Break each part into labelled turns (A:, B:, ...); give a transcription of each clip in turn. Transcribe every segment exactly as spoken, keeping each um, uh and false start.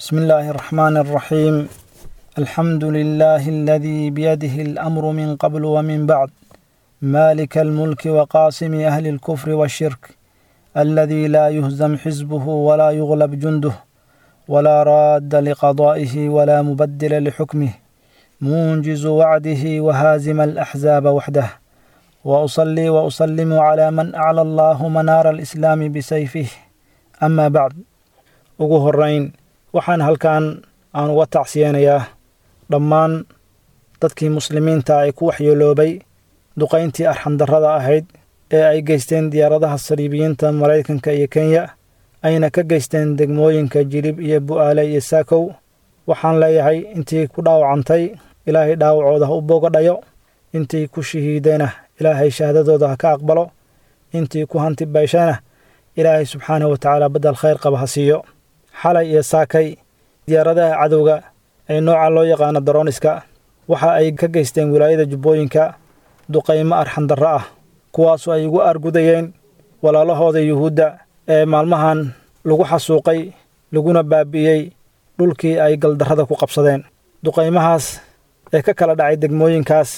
A: بسم الله الرحمن الرحيم. الحمد لله الذي بيده الأمر من قبل ومن بعد، مالك الملك وقاسم أهل الكفر والشرك، الذي لا يهزم حزبه ولا يغلب جنده ولا راد لقضائه ولا مبدل لحكمه، منجز وعده وهازم الأحزاب وحده. وأصلي وأسلم على من أعلى الله منار الإسلام بسيفه. أما بعد، ugu horeyn waxaan halkan aan uga tacsiyeynayaa dhammaan dadkii muslimiinta ay ku waxyeeloobay duqayntii arxandarrada ahayd ee ay geysteen diyaaradaha saliibiyiinta Maraykanka iyo Kenya, ayna ka geysteen degmooyinka Jilib iyo Bu'aale iyo Saakow. Waxaan leeyahay intii ku dhaawacantay Ilaahay dhaawacooda ha u boogadhayo, intii ku shahiidayna Ilaahay shahaadadooda ha ka aqbalo, intii ku hanti bayshana Ilaahay subxaanahu wa tacaala badal khayr qaba ha siiyo. Xalay iyo saakay diyaaradaha cadowga ee nooca loo yaqaano darooniska waxa ay ka geysteen wilaayada Jubbooyinka duqaymo arxandarro ah, kuwaasoo ay ugu argudayeen walaalahooda Yuhuudda ee maalmahan lagu xasuuqay laguna baabi'iyey dhulkii ay galdarrada ku qabsadeen. Duqaymahaas ee ka kala dhacay degmooyinkaas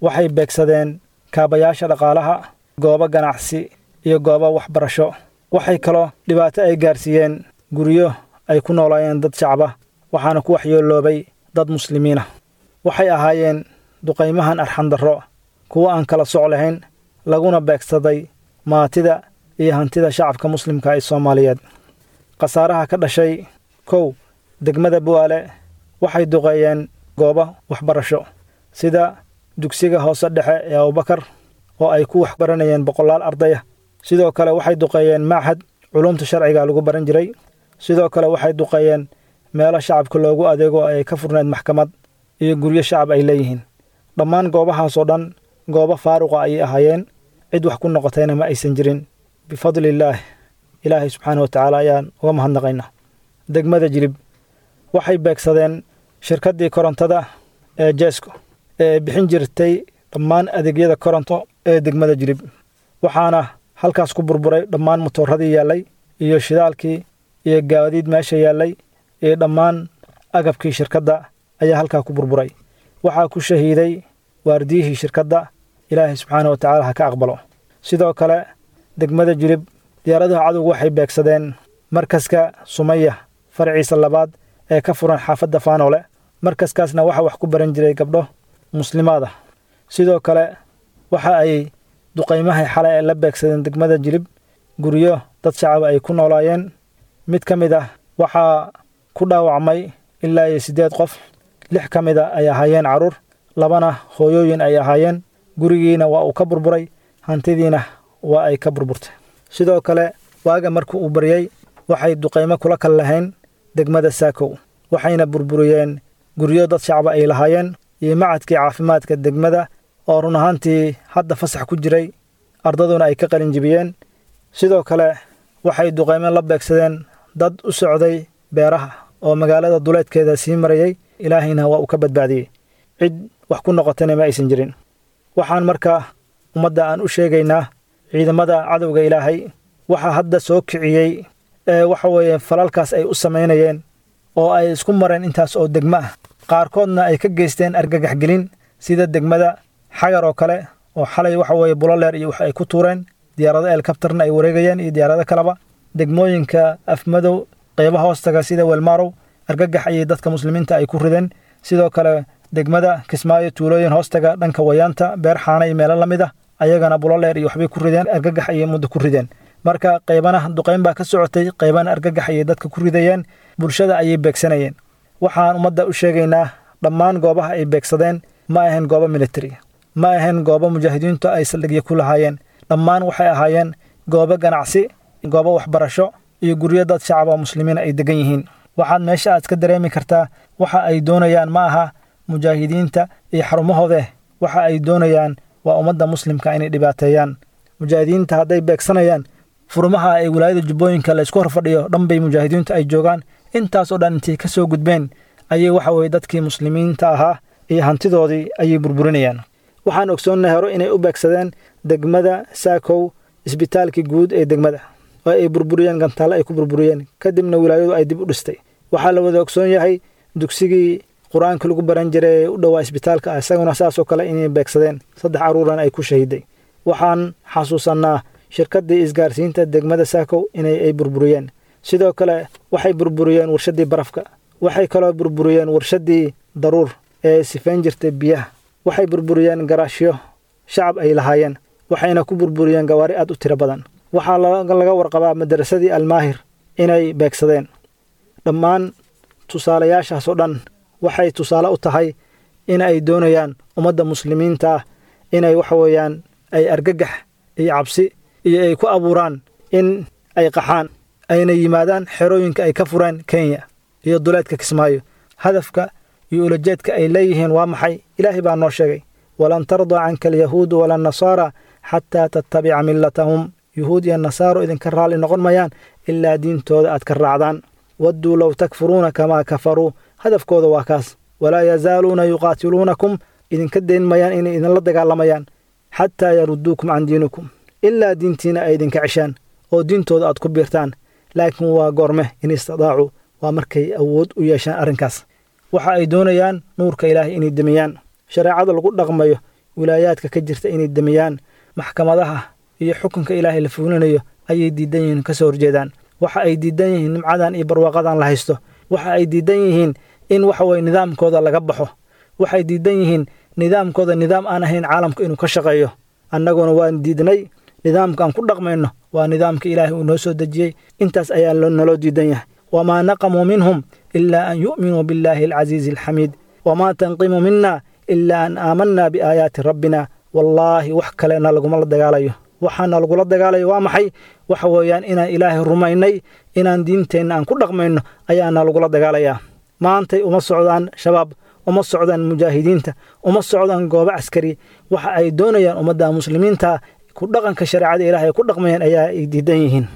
A: waxay beegsadeen kaabayaasha dhaqaalaha, goobo ganacsi iyo goobo waxbarasho. Waxay kaloo dhibaato ay gaarsiiyeen guryo ay ku noolaayeen dad shacab ah, waxaana ku waxyeeloobay dad muslimiin ah. Waxay ahaayeen duqaymahan arxandarro kuwo aan kala soc lahayn, laguna beegsaday maatida iyo hantida shacabka muslimka ee Soomaaliyeed. Khasaaraha ka dhashay: kow, degmada Bu'aale waxay duqeeyeen goobo waxbarasho sida dugsiga hoose dhexe ee Abubakar oo ay ku waxbaranayeen boqolaal arday ah. Sidoo kale waxay duqeeyeen machad culumta sharciga lagu baran jiray. Sidoo kale waxay duqeeyeen meelo shacabka loogu adeego ay ka furneed maxkamad iyo guryo shacab ay leeyihiin. Dhammaan goobahaas oo dhan goobo faaruqa ayay ahaayeen, cid wax ku noqotayna ma aysan jirin. Bifadlillaah, Ilaahay subxaanahu wa tacaala ayaan uga mahadnaqaynaa. Degmada Jilib waxay beegsadeen shirkaddii korontada ee Jesco ee bixin jirtay dhammaan adeegyada koronto ee degmada Jilib, waxaana halkaas ku burburay dhammaan motooradii yaallay iyo shidaalkii iyo gaadiid meesha yaallay iyo dhammaan agabkii shirkadda ayaa halkaa ku burburay. Waxaa ku shahiiday waardiyihii shirkadda, Ilaahay subxaanahu wa tacaala ha ka aqbalo. Sidoo kale degmada Jilib diyaaradaha cadowgu waxay beegsadeen markaska Sumaya farciisa labaad ee ka furan xaafadda Faanoole. Markaskaasna waxa wax ku baran jiray gabdho muslimaad ah. Sidoo kale waxa ay duqaymaha xalay ay la beegsadeen degmada Jilib guryo dad shacab ay ku noolaayeen. Mid ka mid ah waxaa ku dhaawacmay ilaa iyo siddeed qof, lix ka mid ah ay ahaayeen carruur, labana hooyooyin ay ahaayeen. Gurigiina waa uu ka burburay, hantidiina waa ay ka burburtay. Sidoo kale waaga markii uu baryay waxay duqaymo kula kal lahayn degmada Saakow, waxayna burburiyeen guryo dad shacab ay lahaayeen iyo macadkii caafimaadka degmada oo run ahaantii hadda fasax ku jiray, ardaduna ay ka qalin jebiyeen. Sidoo kale waxay duqaymo la beegsadeen dad u socday beeraha oo magaalada duleedkeeda sii marayay, Ilaahayna waa uu ka badbaadiyey, cid wax ku noqotayna ma aysan jirin. Waxaan markaa ummadda aan u sheegaynaa ciidamada cadowga Ilaahay waxa hadda soo kiciyey ee waxa weeye falalkaas ay u samaynayeen oo ay isku mareen intaas oo degmo ah, qaarkoodna ay ka geysteen argagax gelin sida degmada Xagar oo kale oo xalay waxa weeye buloleer iyo wax ay ku tuureen, diyaarado helikabtarna ay wareegayeen iyo diyaarado kaleba. Degmooyinka Afmadow qeybaha hoostaga sida Weelmaarow argagax ayay dadka muslimiinta ay ku rideen. Sidoo kale degmada Kismaayo tuulooyin hoostaga dhanka Wayaanta, Beer Xaana iyo meelo la mid ah ayagana buloleer iyo waxbay ku rideen, argagax ayay muddo ku rideen. Marka qaybana duqayn baa ka socotay, qaybana argagax ayay dadka ku ridayeen, bulshada ayay beegsanayeen. Waxaan ummadda u sheegaynaa dhammaan goobaha ay beegsadeen ma ahayn goobo military, ma ahayn goobo mujaahidiintu ay saldhigyo ku lahaayeen. Dhammaan waxay ahaayeen goobo ganacsi, goobo waxbarasho iyo guryo dad shacab oo muslimiin ay degan yihiin. Waxaad meesha aad ka dareemi kartaa waxa ay doonayaan ma aha mujaahidiinta iyo xarumahooda, waxa ay doonayaan waa ummadda muslimka inay dhibaateeyaan. Mujaahidiinta hadday beegsanayaan furmaha ay wilaayada Jubbooyinka la isku horfadhiyo dhan bay mujaahidiintu ay joogaan. Intaas oo dhan intay ka soo gudbeen ayay waxa weeye dadkii muslimiinta ahaa iyo hantidoodii ayay burburinayaan. Waxaan ogsoonnahay hore inay u beegsadeen degmada Saakow isbitaalkii guud ee degmada oo ay burburiyeen, gantaale ay ku burburiyeen, kadibna wilaayadu ay dib u dhistay. Waxaa la wada ogsoon yahay dugsigii qur-aanka lagu baran jiray ee u dhowaa isbitaalka, isaguna saasoo kale inay beegsadeen, saddex carruurana ay ku shahiday. Waxaan xasuusannaa shirkaddii isgaarsiinta degmada Saakow inay ay burburiyeen. Sidoo kale waxay burburiyeen warshaddii barafka, waxay kaloo burburiyeen warshaddii daruur ee sifayn jirtay biyaha, waxay burburiyeen garaashyo shacab ay lahaayeen, waxayna ku burburiyeen gawaari aad u tiro badan. Waxaa laga warqabaa madarasadii Almaahir inay beegsadeen. Dhammaan tusaalayaashaas oo dhan waxay tusaale u tahay in ay doonayaan ummadda muslimiinta ah inay waxa weeyaan ay argagax iyo cabsi iyo ay ku abuuraan in ay qaxaan, ayna yimaadaan xerooyinka ay ka fureen Kenya iyo duleedka Kismaayo. Hadafka iyo ulajeedka ay leeyihiin waa maxay? Ilaahay baa noo sheegay: walan tardaa canka alyahuudu wala nasaara xataa tattabica millatahum. Yuhuud iyo nasaaro idinka raalli noqon mayaan ilaa diintooda aad ka raacdaan. Wadduu low takfuruuna kamaa kafaruu. Hadafkooda waa kaas. Walaa yazaaluuna yuqaatiluunakum, idinka dayn mayaan inay idinla dagaalamayaan, xataa yaruduukum can diinikum, ilaa diintiina ay idinka ceshaan oo diintooda aad ku biirtaan. Laakiin waa goorme? In istidaacu, waa markay awood u yeeshaan arrinkaas. Waxa ay doonayaan nuurka Ilaahay inay demiyaan, shareecada lagu dhaqmayo wilaayaadka ka jirta inay demiyaan, maxkamadaha iyo xukunka Ilaahay la fuulinayo ayay diidan yihiin, ka soo horjeedaan. Waxa ay diidan yihiin nimcadan iyo barwaaqadan la haysto. Waxa ay diidan yihiin in waxa weye nidaamkooda laga baxo. Waxay diidan yihiin nidaamkooda nidaam aan ahayn caalamka inuu ka shaqeeyo. Annaguna waan diidnay. Nidaamka aan ku dhaqmayno waa nidaamka Ilaahay uu noo soo dejiyey. Intaas ayaa naloo diidan yahay. Wamaa naqamuu minhum ilaa an yu'minuu billaahi alcasiizi alxamiid, wamaa tanqimu mina ilaa an aamanaa biaayaati rabbina. Wallaahi wax kalena laguma la dagaalayo. Waxaana lagula dagaalayo waa maxay? Waxa weeyaan inaan Ilaahay rumaynay, inaan diinteenna aan ku dhaqmayno ayaana lagula dagaalayaa. Maantay uma socdaan shabaab, uma socdaan mujaahidiinta, uma socdaan goobo caskari. Waxa ay doonayaan ummadda muslimiinta ku dhaqanka shareecada Ilaahay ay ku dhaqmayaan ayaa ay diidan yihiin.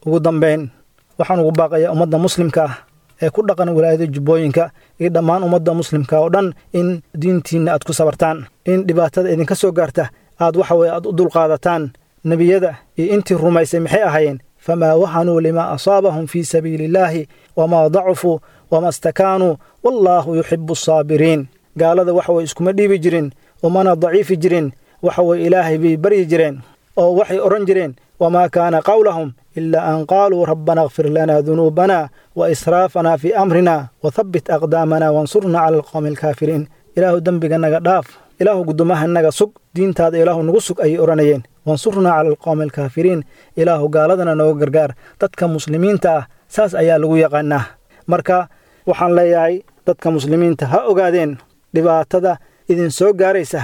A: Ugu dambeyn, waxaan ugu baaqayaa ummadda muslimka ah ee ku dhaqan wilaayada Jubbooyinka iyo dhammaan ummadda muslimka oo dhan in diintiinna aad ku sabartaan, in dhibaatada idinka soo gaarta aad waxa weye aad u dulqaadataan. Nebiyada iyo intii rumaysay maxay ahaayeen? Famaa wahanuu limaa asaabahum fii sabiili illaahi wamaa dacufuu wama stakaanuu wallaahu yuxibu asaabiriin. Gaalada waxa weye iskuma dhiibi jirin, umana daciifi jirin. Waxa weye Ilaahay bay baryi jireen oo waxay odhan jireen: wamaa kaana qawlahum ilaa an qaaluu rabbana kfir lanaa dunuubana wa israafanaa fii amrina wathabbit aqdaamana wansurnaa cala alqowmi alkaafiriin. Ilaahu dembiga naga dhaaf, Ilaahu guddoomaha naga sug, diintaada Ilaahu nagu sug ayay odhanayeen. Wansurnaa cala alqowmi alkaafiriin, Ilaahu gaaladana nooga gargaar. Dadka muslimiinta ah saas ayaa lagu yaqaanaa. Marka waxaan leeyahay dadka muslimiinta ha ogaadeen dhibaatada idin soo gaaraysa,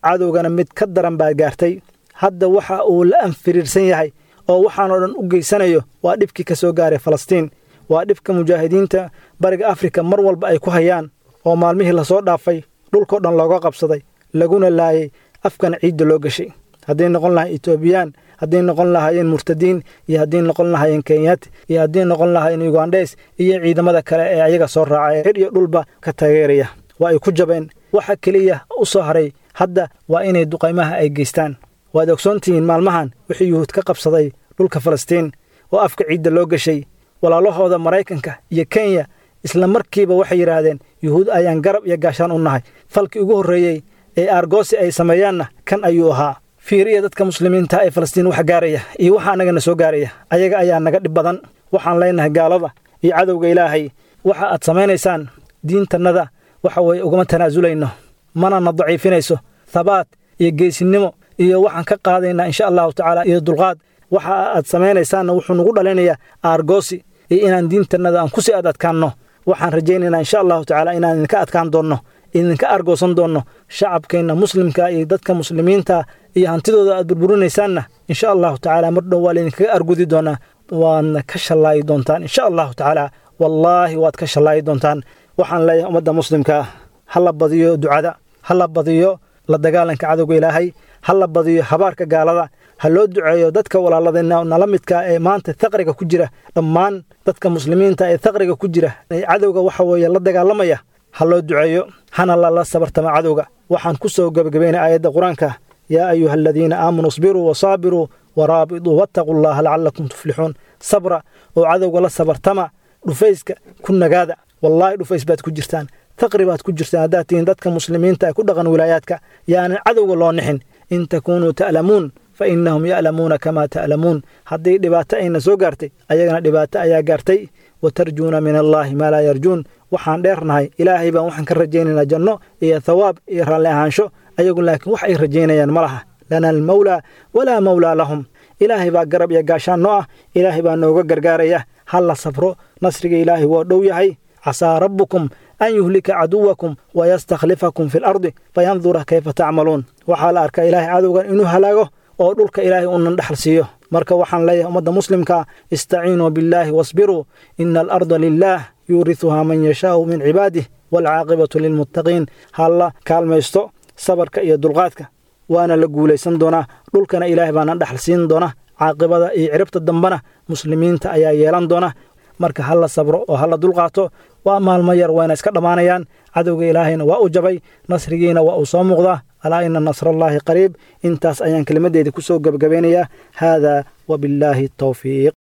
A: cadowgana mid ka daran baa gaartay. Hadda waxa uu la anfiriirsan yahay oo waxaanoo dhan u geysanayo waa dhibkii ka soo gaaray Falastiin, waa dhibka mujaahidiinta bariga Afrika mar walba ay ku hayaan, oo maalmihii lasoo dhaafay dhulkao dhan looga qabsaday, laguna laayay, afkana ciidda loo gashay. Hadday noqon lahayn Etoobiyaan, hadday noqon lahaayeen murtadiin, iyo hadday noqon lahaayeen Kenyaati, iyo hadday noqon lahaayeen Ugandhes iyo ciidamada kale ee ayaga soo raacay xir iyo dhulba ka taageeraya, waa ay ku jabeen. Waxa keliya u soo haray hadda waa inay duqaymaha ay geystaan. Waad ogsoontihiin maalmahan wixii Yuhuud ka qabsaday dhulka Falastiin oo afka ciidda loo gashay. Walaalahooda Maraykanka iyo Kenya isla markiiba waxay yidhaahdeen Yuhuud ayaan garab iyo gaashaan u nahay. Falkii ugu horreeyey ee aargoosi ay sameeyaanna kan ayuu ahaa. Fiiriya dadka muslimiinta ee Falastiin wax gaaraya iyo waxa annagana soo gaaraya, ayaga ayaa naga dhib badan. Waxaan leenahay gaalada iyo cadowga Ilaahay, waxa aad samaynaysaan diintannada waxa weeye ugama tanaasulayno, mana na daciifinayso. Thabaat iyo geesinimo iyo waxaan ka qaadaynaa insha Allahu tacaala iyo dulqaad. Waxa aad samaynaysaanna wuxuu nagu dhalinayaa aargoosi iyo inaan diintannada aan kusii aad adkaanno. Waxaan rajaynaynaa insha Allahu tacaala inaan idinka adkaan doonno, idinka argoosan doonno. Shacabkeenna muslimka iyo dadka muslimiinta iyo hantidooda aad burburinaysaanna insha Allahu tacaala mar dhow waa laydinkaga argudi doonaa, waadna ka shallaayi doontaan insha Allahu tacaala. Wallaahi waad ka shallaayi doontaan. Waxaan leeyahay ummadda muslimka ha la badiyo ducada, ha la badiyo la dagaalanka cadowga Ilaahay, ha la badiyo habaarka gaalada, ha loo duceeyo dadka walaaladeenna nala midka ee maanta thaqriga ku jira. Dhammaan dadka muslimiinta ee thaqriga ku jira ee cadowga waxa weeye la dagaalamaya ha loo duceeyo, hana lala sabartama cadowga. Waxaan ku soo gebagabaynay aayadda qur-aanka: yaa ayuha aladiina aamanuu isbiruu wasaabiruu waraabituu wattaquu llaha lacalakum tuflixuun. Sabra oo cadowga la sabartama, Dhufayska ku nagaada, wallaahi dhufays baad ku jirtaan, taqri baad ku jirtaan haddaad tihiin dadka muslimiinta ee ku dhaqan wilaayaadka. Yaanan cadowga loo nixin. In takuunuu ta'lamuun fa innahum ya'lamuuna kamaa ta'lamuun. Haddii dhibaato ayna soo gaartay, ayagana dhibaato ayaa gaartay. Watarjuuna min allaahi maa laa yarjuun. Waxaan dheernahay Ilaahay baan waxaan ka rajaynaynaa janno iyo thawaab iyo raalli ahaansho, ayagu laakiin wax ay rajaynayaan ma laha. Lana almawlaa walaa mawlaa lahum. Ilaahay baa garab iyo gaashaan noo ah, Ilaahay baa nooga gargaaraya. Ha la sabro, nasriga Ilaahay waa dhow yahay. Casaa rabbukum an yuhlika caduwakum wayastakhlifakum fi lardi fayandura kayfa tacmaluun. Waxaa la arkaa Ilaahay cadowgan inuu halaago oo dhulka Ilaahay unan dhexal siiyo. Marka waxaan leeyahay ummadda muslimka, istaciinuu billaahi wasbiruu, ina alarda lilaah yuurisuhaa man yashaau min cibaadih waalcaaqibatu lilmuttaqiin. Ha la kaalmaysto sabarka iyo dulqaadka, waana la guulaysan doonaa. Dhulkana Ilaahay baana dhexal siin doona, caaqibada iyo ciribta dambena muslimiinta ayaa yeelan doona. Marka ha la sabro oo ha la dulqaato, waa maalmo yar, wayna iska dhammaanayaan. Cadowga Ilaahayna waa u jabay, nasrigiina waa uu soo muuqdaa. Alaa ina nasrallaahi qariib. Intaas ayaan kelimadeyda ku soo gebagabeynayaa. Haadaa wabillaahi towfiiq.